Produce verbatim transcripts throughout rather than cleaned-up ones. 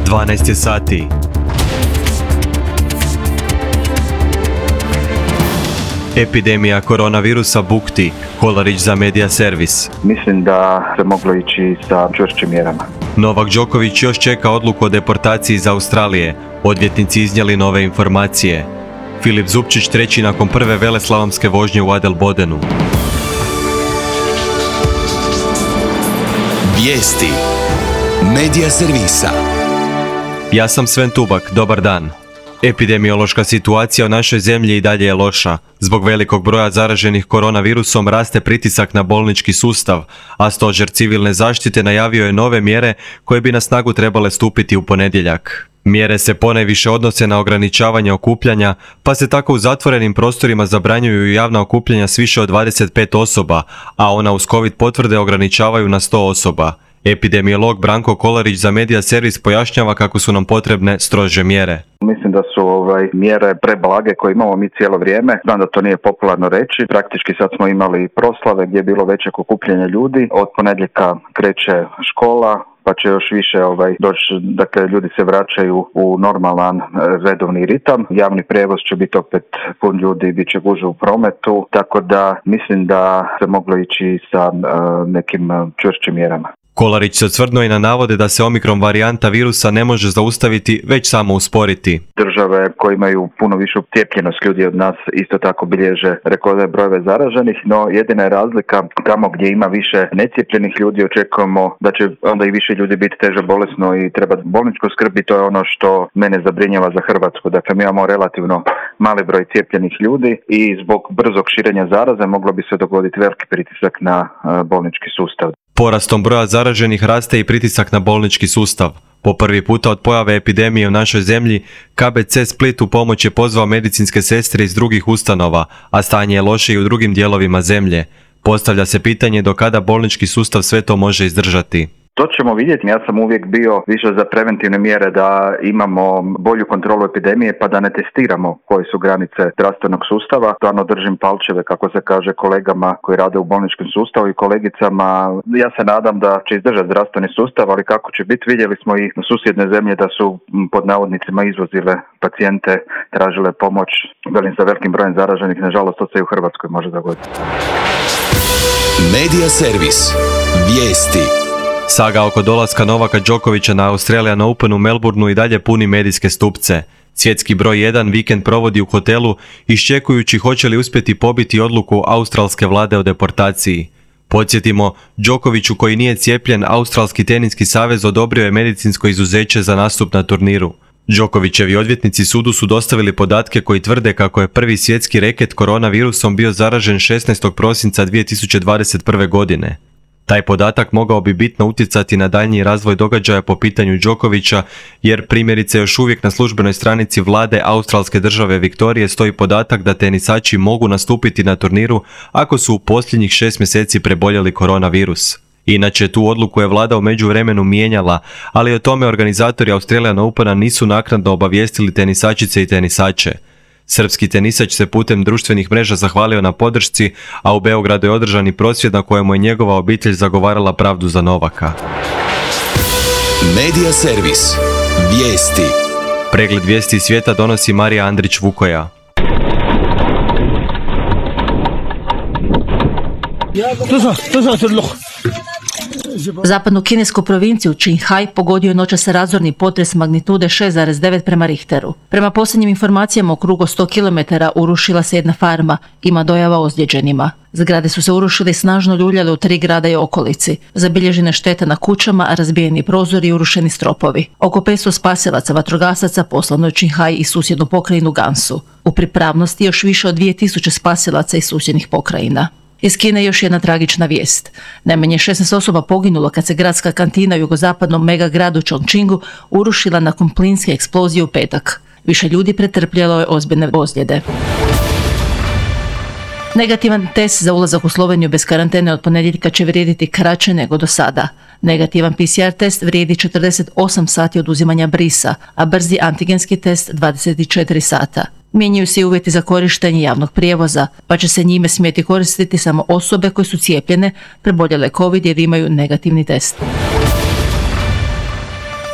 dvanaest je sati. Epidemija koronavirusa bukti, Kolarić za Media Servis. Mislim da se moglo ići sa čvršćim mjerama. Novak Đoković još čeka odluku o deportaciji iz Australije. Odvjetnici iznijeli nove informacije. Filip Zupčić treći nakon prve veleslalomske vožnje u Adelbodenu. Vijesti Media Servisa. Ja sam Sven Tubak, dobar dan. Epidemiološka situacija u našoj zemlji i dalje je loša. Zbog velikog broja zaraženih koronavirusom raste pritisak na bolnički sustav, a Stožer civilne zaštite najavio je nove mjere koje bi na snagu trebale stupiti u ponedjeljak. Mjere se ponajviše odnose na ograničavanje okupljanja, pa se tako u zatvorenim prostorima zabranjuju javna okupljanja s više od dvadeset pet osoba, a ona uz COVID potvrde ograničavaju na sto osoba. Epidemiolog Branko Kolarić za Media Servis pojašnjava kako su nam potrebne strože mjere. Mislim da su ovaj, mjere preblage koje imamo mi cijelo vrijeme. Znam da to nije popularno reći. Praktički sad smo imali proslave gdje je bilo većeg okupljanja ljudi. Od ponedjeljka kreće škola, pa će još više ovaj, doći, dakle ljudi se vraćaju u normalan redovni ritam. Javni prijevoz će biti opet pun ljudi, bit će gužve u prometu, tako da mislim da se moglo ići sa uh, nekim čvršćim mjerama. Kolarić se osvrnuo i na navode da se omikron varijanta virusa ne može zaustaviti, već samo usporiti. Države koje imaju puno višu cijepljenost ljudi od nas isto tako bilježe rekordne brojeve zaraženih, no jedina je razlika tamo gdje ima više necijepljenih ljudi očekujemo da će onda i više ljudi biti teže bolesno i treba bolničku skrb i to je ono što mene zabrinjava za Hrvatsku. Dakle, mi imamo relativno mali broj cijepljenih ljudi i zbog brzog širenja zaraze moglo bi se dogoditi veliki pritisak na bolnički sustav. Porastom broja zaraženih raste i pritisak na bolnički sustav. Po prvi puta od pojave epidemije u našoj zemlji, K B C Split u pomoć je pozvao medicinske sestre iz drugih ustanova, a stanje je loše i u drugim dijelovima zemlje. Postavlja se pitanje do kada bolnički sustav sve to može izdržati. To ćemo vidjeti. Ja sam uvijek bio više za preventivne mjere da imamo bolju kontrolu epidemije pa da ne testiramo koje su granice zdravstvenog sustava. Stvarno držim palčeve, kako se kaže, kolegama koji rade u bolničkom sustavu i kolegicama. Ja se nadam da će izdržati zdravstveni sustav, ali kako će biti, vidjeli smo i susjedne zemlje da su pod navodnicima izvozile pacijente, tražile pomoć. Velim, sa velikim brojem zaraženih, nažalost to se i u Hrvatskoj može dogoditi. Media Servis. Vijesti. Saga oko dolaska Novaka Đokovića na Australian Open u Melbourneu i dalje puni medijske stupce. Svjetski broj jedan vikend provodi u hotelu iščekujući hoće li uspjeti pobiti odluku australske vlade o deportaciji. Podsjetimo, Đokoviću koji nije cijepljen, Australski teniski savez odobrio je medicinsko izuzeće za nastup na turniru. Đokovićevi odvjetnici sudu su dostavili podatke koji tvrde kako je prvi svjetski reket koronavirusom bio zaražen šesnaestog prosinca dvije tisuće dvadeset prve. godine. Taj podatak mogao bi bitno utjecati na daljnji razvoj događaja po pitanju Đokovića, jer primjerice još uvijek na službenoj stranici vlade australske države Viktorije stoji podatak da tenisači mogu nastupiti na turniru ako su u posljednjih šest mjeseci preboljeli koronavirus. Inače, tu odluku je vlada u međuvremenu mijenjala, ali o tome organizatori Australian Opena nisu naknadno obavijestili tenisačice i tenisače. Srpski tenisač se putem društvenih mreža zahvalio na podršci, a u Beogradu je održan i prosvjed na kojemu je njegova obitelj zagovarala pravdu za Novaka. Media Servis. Vijesti. Pregled vijesti iz svijeta donosi Marija Andrić-Vukoja. Zapadnu kinesku provinciju Qinghai pogodio je noćas razorni potres magnitude šest zarez devet prema Richteru. Prema posljednjim informacijama, u krugu sto kilometara urušila se jedna farma, ima dojava ozlijeđenima. Zgrade su se urušile i snažno ljuljale u tri grada i okolici. Zabilježene štete na kućama, razbijeni prozori i urušeni stropovi. Oko petsto spasilaca vatrogasaca poslano je Qinghai i susjednu pokrajinu Gansu. U pripravnosti još više od dvije tisuće spasilaca iz susjednih pokrajina. Iz Kine još jedna tragična vijest. Najmanje šesnaest osoba poginulo kad se gradska kantina u jugozapadnom megagradu Chongqingu urušila nakon plinske eksplozije u petak. Više ljudi pretrpjelo je ozbiljne ozljede. Negativan test za ulazak u Sloveniju bez karantene od ponedjeljka će vrijediti kraće nego do sada. Negativan P C R test vrijedi četrdeset osam sati od uzimanja brisa, a brzi antigenski test dvadeset četiri sata. Mijenjaju se i uvjeti za korištenje javnog prijevoza, pa će se njime smjeti koristiti samo osobe koje su cijepljene, preboljele COVID jer imaju negativni test.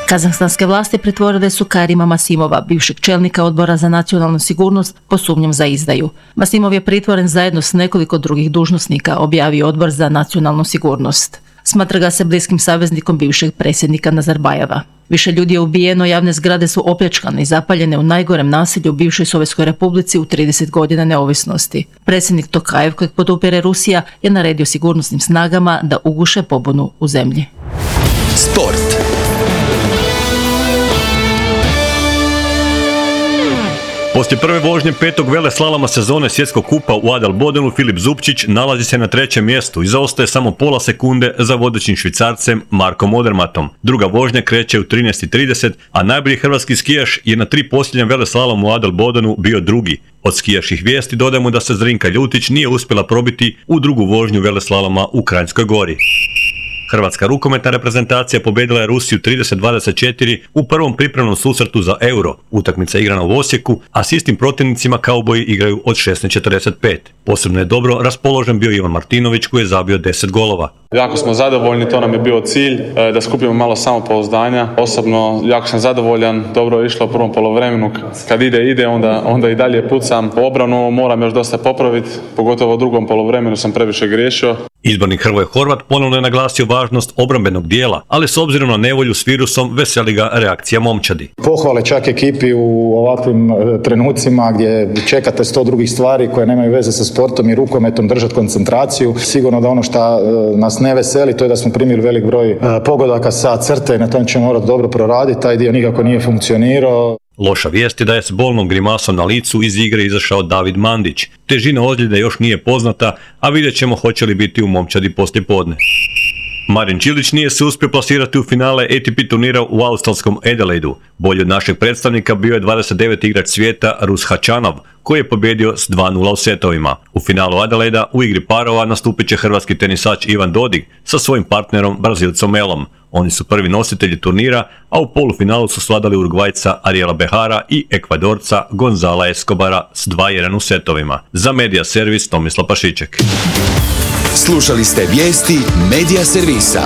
Kazahstanske vlasti pritvorile su Karima Masimova, bivšeg čelnika odbora za nacionalnu sigurnost, po sumnjom za izdaju. Masimov je pritvoren zajedno s nekoliko drugih dužnosnika, objavio odbor za nacionalnu sigurnost. Smatra ga se bliskim saveznikom bivšeg predsjednika Nazarbajeva. Više ljudi je ubijeno, javne zgrade su opljačkane i zapaljene u najgorem nasilju u bivšoj Sovjetskoj republici u trideset godina neovisnosti. Predsjednik Tokajev, kojeg podupire Rusija, je naredio sigurnosnim snagama da uguše pobunu u zemlji. Sport. Poslije prve vožnje petog veleslaloma sezone svjetskog kupa u Adelbodenu, Filip Zupčić nalazi se na trećem mjestu i zaostaje samo pola sekunde za vodećim Švicarcem Markom Odermatom. Druga vožnja kreće u trinaest i trideset, a najbolji hrvatski skijaš je na tri posljednjem veleslalomu u Adelbodenu bio drugi. Od skijaških vijesti dodajemo da se Zrinka Ljutić nije uspjela probiti u drugu vožnju veleslaloma u Kranjskoj Gori. Hrvatska rukometna reprezentacija pobjedila je Rusiju trideset dvadeset četiri u prvom pripremnom susretu za Euro. Utakmica je igrana u Osijeku, a s istim protivnicima kauboji igraju od šesnaest četrdeset pet. Posebno je dobro raspoložen bio Ivan Martinović koji je zabio deset golova. Jako smo zadovoljni, to nam je bio cilj, da skupimo malo samopouzdanja. Osobno jako sam zadovoljan, dobro je išlo u prvom poluvremenu. Kad ide, ide, onda, onda i dalje pucam. U obranu moram još dosta popraviti, pogotovo u drugom poluvremenu sam previše griješio. Izbornik Hrvoje Horvat ponovno je naglasio važnost obrambenog dijela, ali s obzirom na nevolju s virusom veseli ga reakcija momčadi. Pohvale čak ekipi u ovakvim trenucima gdje čekate sto drugih stvari koje nemaju veze sa sportom i rukometom, držati koncentraciju. Sigurno da ono što nas ne veseli, to je da smo primili velik broj pogodaka sa crte i na tom ćemo morati dobro proraditi, taj dio nikako nije funkcionirao. Loša vijest je da je s bolnom grimasom na licu iz igre izašao David Mandić. Težina ozljede još nije poznata, a vidjet ćemo hoće li biti u momčadi poslijepodne. Marin Čilić nije se uspio plasirati u finale A T P turnira u australskom Adelaidu. Bolji od našeg predstavnika bio je dvadeset deveti igrač svijeta Rus Hačanov, koji je pobjedio s dva nula u setovima. U finalu Adelaida u igri parova nastupit će hrvatski tenisač Ivan Dodig sa svojim partnerom Brazilcom Elom. Oni su prvi nositelji turnira, a u polufinalu su svladali Urugvajca Ariela Behara i Ekvadorca Gonzala Escobara s dva jedan u setovima. Za Medija Servis Tomislav Pašiček. Slušali ste vijesti Medija Servisa.